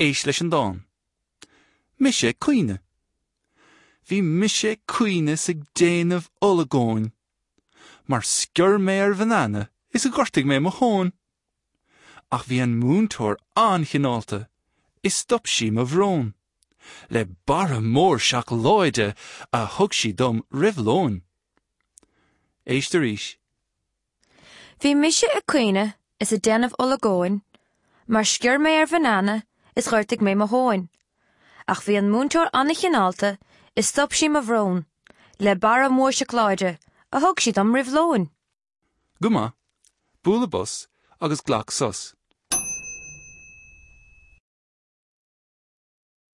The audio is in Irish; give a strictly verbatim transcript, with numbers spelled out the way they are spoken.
Éist leis an dán. Mise ag caoineadh. Bhí mise ag caoineadh 's ag déanamh olagóin, mar sciorr mé ar bhanana is ghortaigh mé mo thóin. Ach bhí an múinteoir an-chineálta is stop sí mo bhrón, le barra mór seacláide a thug sí dom roimh lón. Éist arís. Bhí mise ag caoineadh is ag déanamh olagóin, mar sciorr mé ar bhanana is ghortaigh mé mo thóin. Ach bhí an múinteoir an-chineálta is stop sí mo bhrón, le barra mór seacláide a thug sí dom roimh lón. Go maith, bualadh bos agus glac sos.